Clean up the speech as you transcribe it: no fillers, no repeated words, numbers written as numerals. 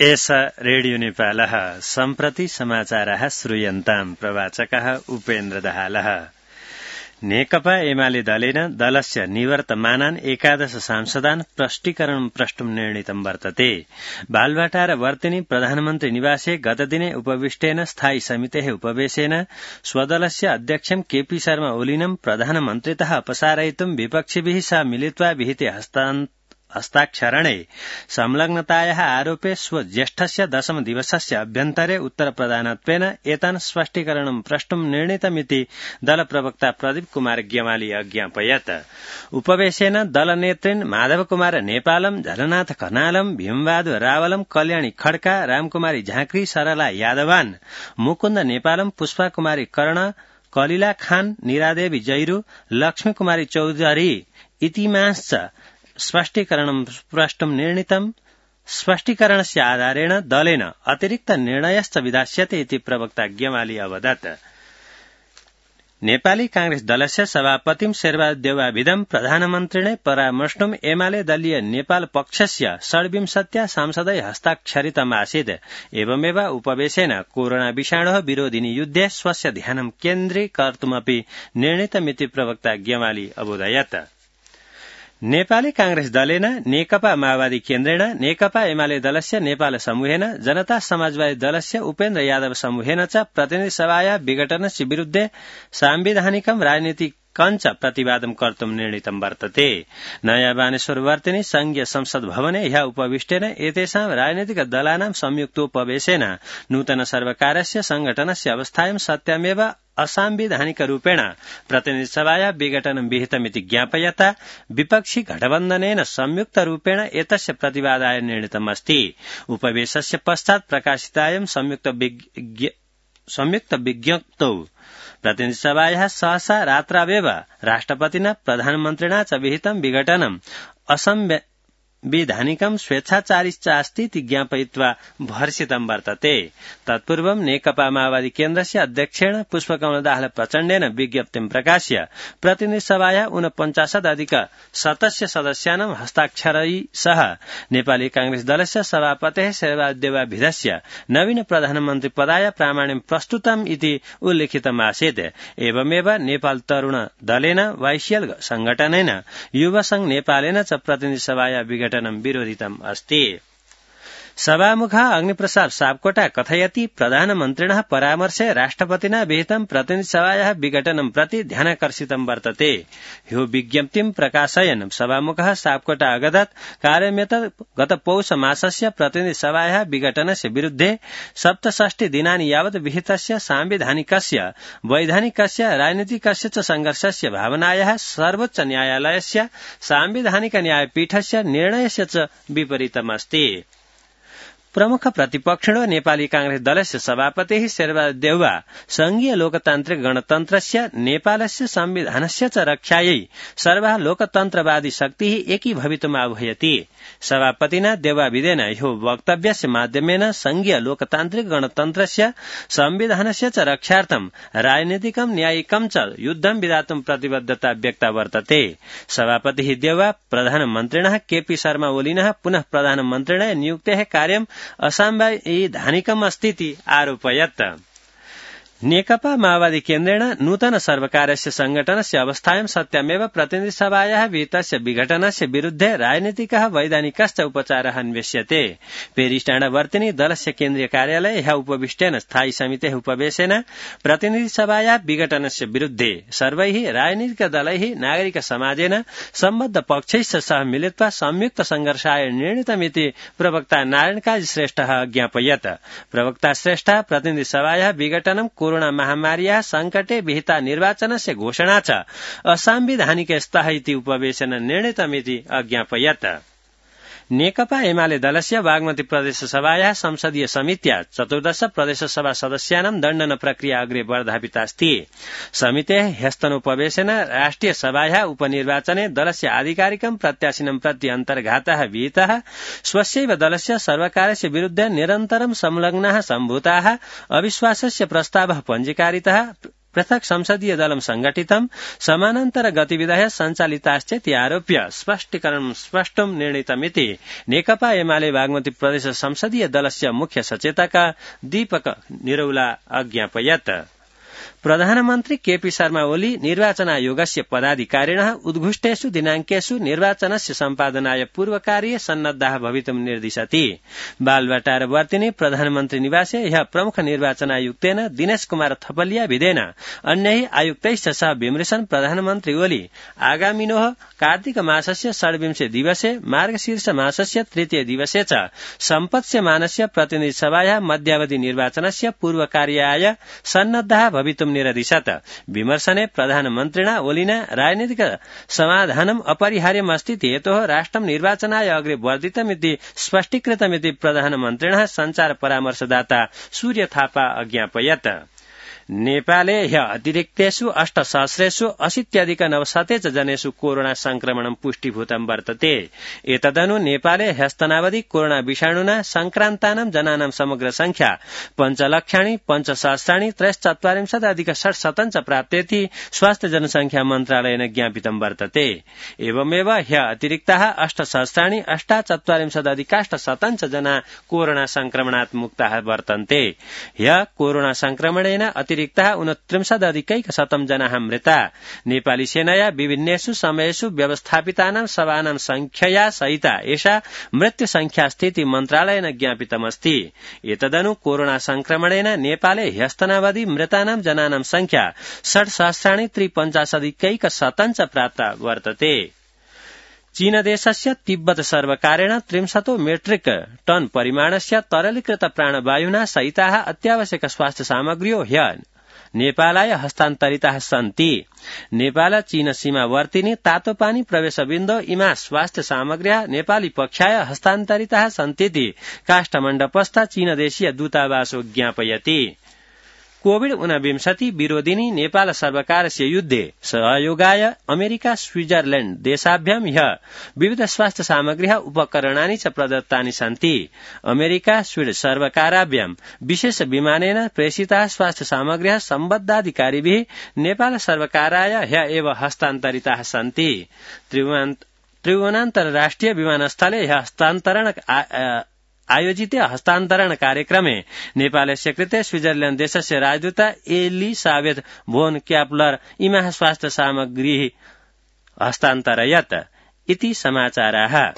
एष रेडियो नेपालः सम्प्रति समाचारः श्रूयन्ताम् प्रवाचकः उपेन्द्र दाहालः। नेकपा एमाले दलेन दलस्य निवर्तमानान् 11 सांसदान् प्रष्टीकरणं प्रष्टुं निर्णीतं वर्तते। बालवाटार वर्तिनी प्रधानमन्त्री निवासे गतदिने उपविष्टेन स्थायी समितेः उपवेशेन स्वदलस्य अध्यक्षं केपी शर्मा ओलीनं प्रधानमन्त्रितः अपसारयितुं विपक्षिभिः सह मिलित्वा विहिते हस्ताक्षरणे संलग्नतायाः आरोपे स्वज्येष्ठस्य 10 दिवसस्य अभ्यन्तरे उत्तरप्रदानत्वेन एतान् स्पष्टीकरणं प्रष्टुं निर्णीतमिति दलप्रवक्ता प्रदीप कुमार गेमाली अज्ञापयत्। उपवेशेन दलनेतृन् माधव कुमार नेपालम, झलनाथ खनालम, भीमबहादुर रावलम, कल्याणी खड्का, रामकुमारी झाँक्री, सरला यादवान, मुकुन्द नेपालम, पुष्पा कुमारी कर्ण, कलिला खान, निरादेवी जैरू, लक्ष्मी कुमारी चौधरी इतिमाश्च स्पष्टीकरणं प्रष्टुं निर्णीतम्। स्पष्टीकरणस्य आधारेण दलेन अतिरिक्त निर्णयश्च विधास्यते इति प्रवक्ता गेमाली अवदत्। नेपाली कांग्रेस दलस्य सभापतिं शेरबहादेवाभिधं प्रधानमन्त्रिणे परामर्ष्टुम् एमाले दलीय नेपाल पक्षस्य 26 सांसदै हस्ताक्षरितमासीत्। एवमेव उपवेशेन कोरोना विषाणोः विरोधिनि युद्धे स्वस्य ध्यानं केन्द्रीकर्तुमपि निर्णीतमिति प्रवक्ता गेमाली अबोधयत्। नेपाली कांग्रेस दलेन नेकपा माओवादी केन्द्रेण, नेकपा एमाले दलस्य नेपाल समूहेन, जनता समाजवादी दलस्य उपेन्द्र यादव समूहेन च प्रतिनिधि सभाया विघटनस्य विरुद्धे सांविधानिकं राजनीतिकञ्च प्रतिवादं कर्तुं निर्णीतं वर्तते। नयाँ बानेश्वर वर्तिनी संघीय संसद भवने ह्यः उपविष्टेन एतेषां राजनीतिक दलानां संयुक्तोपवेशेन नूतन सर्वकारस्य संघटनस्य अवस्थायां सत्यमेव असंवैधानिक रूपेण प्रतिनिधि सभाया विघटनं विहितमिति ज्ञापयता विपक्षी गठबन्धनेन संयुक्त रूपेण एतस्य प्रतिवादाय निर्णीतमस्ति। उपवेशस्य पश्चात् प्रकाशितायां संयुक्त विज्ञप्तौ प्रतिनिधि सभायाः सहसा रात्रावेव राष्ट्रपतिना प्रधानमन्त्रिणा च विहितं विघटनं असंवैधानिकं स्वेच्छाचारिश्च अस्ति इति ज्ञापयित्वा भर्सितं वर्तते। तत्पूर्वं नेकपा माओवादी केन्द्रस्य अध्यक्षेण पुष्पकमल दाहाल प्रचण्डेन विज्ञप्तिं प्रकाश्य प्रतिनिधि सभाया 49 सदस्यानां हस्ताक्षरै सह नेपाली कांग्रेस दलस्य सभापतेः शेरबहादेवाभिधस्य नवीन प्रधानमन्त्री पदाय प्रामाण्यं प्रस्तुतम् इति उल्लिखितमासीत्। एवमेव नेपाल तरुण दलेन, वाइसिएल संघटनेन, युवा संघ नेपालेन च प्रतिनिधि सभाया विघटनं विरोधितम् अस्ति। सभामुखः अग्निप्रसाद सापकोटा कथयति प्रधानमन्त्रिणः परामर्शे राष्ट्रपतिना विहितं प्रतिनिधि सभायाः विघटनं प्रति ध्यानाकर्षितं वर्तते। ह्यो विज्ञप्तिं प्रकाशयन् सभामुखः सापकोटा अगदत् कार्यमेत गत पौष मासस्य प्रतिनिधि सभायाः विघटनस्य विरुद्धे 67 दिनानि यावत् विहितस्य सांविधानिकस्य, वैधानिकस्य, राजनीतिकस्य च संघर्षस्य भावनायाः सर्वोच्च न्यायालयस्य सांविधानिक न्यायपीठस्य निर्णयस्य च विपरीतमस्ति। प्रमुख प्रतिपक्षिणो नेपाली कांग्रेस दलस्य सभापतिः शेरबहादेवा संघीय लोकतान्त्रिक गणतन्त्रस्य, नेपालस्य संविधानस्य च रक्षायै सर्वः लोकतन्त्रवादी शक्तिः एकीभवितुम् आह्वयति। सभापतिना देवाभिधेन ह्यो वक्तव्यस्य माध्यमेन संघीय लोकतान्त्रिक गणतन्त्रस्य, संविधानस्य च रक्षार्थं राजनीतिकं न्यायिकं च युद्धं विधातुं प्रतिबद्धता व्यक्ता वर्तते। सभापतिः देवा प्रधानमन्त्रिणः केपी शर्मा ओलीनः पुनः प्रधानमन्त्रिणः नियुक्तेः कार्यं असंवैधानिकम् अस्तीति आरोपयत्। नेकपा माओवादी केन्द्रेण नूतन सर्वकारस्य संघटनस्य अवस्थायां सत्यमेव प्रतिनिधि सभायाः विहितस्य विघटनस्य विरुद्धे राजनीतिकः, वैधानिकश्च उपचारः अन्वेष्यते। पेरिसटाडावर्तिनी दलस्य केन्द्रीय कार्यालये ह्यः उपविष्टेन स्थायी समितेः उपवेशेन प्रतिनिधि सभायाः विघटनस्य विरुद्धे सर्वैः राजनीतिक दलैः, नागरिक समाजेन, सम्बद्ध पक्षैश्च सह मिलित्वा संयुक्त संघर्षाय निर्णीतमिति प्रवक्ता नारायण काजी श्रेष्ठः ज्ञापयत्। प्रवक्ता श्रेष्ठः प्रतिनिधि सभायाः विघटनं कोरोना महामार्याः संकटे विहिता निर्वाचनस्य घोषणा च असंवैधानिक स्तः इति उपवेशेन निर्णीतमिति अज्ञापयत्। नेकपा एमाले दलस्य बागमती प्रदेश सभायाः संसदीय समित्या 14 प्रदेश सभा सदस्यानां दण्डन प्रक्रिया अग्रे वर्धापितास्ति। समितेः ह्यस्तनोपवेशेन राष्ट्रिय सभायाः उपनिर्वाचने दलस्य आधिकारिकं प्रत्याशिनं प्रति अन्तर्घातः विहितः। स्वस्यैव दलस्य सर्वकारस्य विरुद्धे निरन्तरं संलग्नाः सम्भूताः अविश्वासस्य प्रस्तावः पञ्जीकारितः। पृथक संसदीय दलं संघटितं समानान्तर गतिविधय सञ्चालिताश्चेति आरोप्य स्पष्टं निर्णीतमिति नेकपा एमाले बागमती प्रदेश संसदीय दलस्य मुख्य सचेतक दीपक निरौला अज्ञापयत्। प्रधानमन्त्री केपी शर्मा ओली निर्वाचन आयोगस्य पदाधिकारिणः उद्घुष्टेषु दिनाङ्केषु निर्वाचनस्य सम्पादनाय पूर्वकार्ये सन्नद्धाः भवितुं निर्दिशति। बालवाटार वर्तिने प्रधानमन्त्री निवासे ह्यः प्रमुख निर्वाचन आयुक्तेन दिनेश कुमार थपलिया विधेन अन्यैः आयुक्तैश्च सह विमृशन् प्रधानमन्त्री ओली आगामिनोः कार्तिक मासस्य षड्विंशे दिवसे मार्गशीर्ष मासस्य तृतीय दिवसे च सम्पत्स्यमानस्य प्रतिनिधि सभायाः मध्यावधि निर्वाचनस्य पूर्वकार्याय सन्नद्धाः भवितुं निरदिशत्। विमर्शने प्रधानमन्त्रिणा ओलिना राजनीतिक समाधानम् अपरिहार्यमस्तीति हेतोः राष्ट्रं निर्वाचनाय अग्रे वर्धितमिति स्पष्टीकृतमिति प्रधानमन्त्रिणः सञ्चार परामर्शदाता सूर्य थापा अज्ञापयत्। नेपाले ह्य अतिरिक्तेषु 8,80,80 जनेषु कोरोना संक्रमणं पुष्टिभूतं वर्तते। एतदनु नेपाले ह्यस्तनावधि कोरोना विषाणुना संक्रान्तानां जनानां समग्र संख्या 5,50,43,43 प्राप्तेति स्वास्थ्य जनसंख्या मन्त्रालयेन ज्ञापितं वर्तते। एवमेव ह्य अतिरिक्ताः 8,सहस्राणि 8,चत्वारिंशदधिकाष्टशतं कोरोना संक्रमणात् मुक्ताः वर्तन्ते। ह्य कोरोना संक्रमणेन अतिरिक्ताः 29,100 जनाः मृता। नेपाली सेनया विभिन्नेषु समयेषु व्यवस्थापितानां सभानां संख्यया सहिता एषा मृत्यु संख्या स्थिति मन्त्रालयेन ज्ञापितमस्ति। एतदनु कोरोना संक्रमणेन नेपाले ह्यस्तनावधि मृतानां जनानां संख्या 60,53,150 प्राप्ता वर्तते। चीनदेशस्य तिब्बत सर्वकारेण 300 मेट्रिक टन परिमाणस्य तरलीकृत प्राणवायुना सहिताः अत्यावश्यक स्वास्थ्य सामग्र्यो ह्य नेपालाय हस्तान्तरिताः सन्ति। नेपाल चीन सीमावर्तिनी तातोपानी प्रवेशबिन्दो इमा स्वास्थ्य सामग्र्यः नेपाली पक्षाय हस्तान्तरिताः सन्तीति काष्ठमण्डपस्थ चीनदेशीय दूतावासो ज्ञापयति। कोविड-19 विरोधिनी नेपाल सर्वकारस्य युद्धे सहयोगाय अमेरिका स्विट्जरलैण्ड देशाभ्यां ह्यः विविध स्वास्थ्य सामग्र्यः उपकरणानि च प्रदत्तानि सन्ति। अमेरिका स्वीड सर्वकाराभ्यां विशेष विमानेन प्रेषिताः स्वास्थ्य सामग्र्यः सम्बद्धाधिकारिभिः नेपाल सर्वकाराय ह्यः एव हस्तान्तरिताः सन्ति। त्रिभुवनान्तरराष्ट्रिय विमानस्थले ह्यः आयोजिते हस्तान्तरण कार्यक्रमे नेपालस्य कृते स्विट्जरलैण्ड देशस्य राजदूत एलिसाबेथ भोन क्याप्लर इमाः स्वास्थ्य सामग्री हस्तान्तरयत् इति समाचाराः।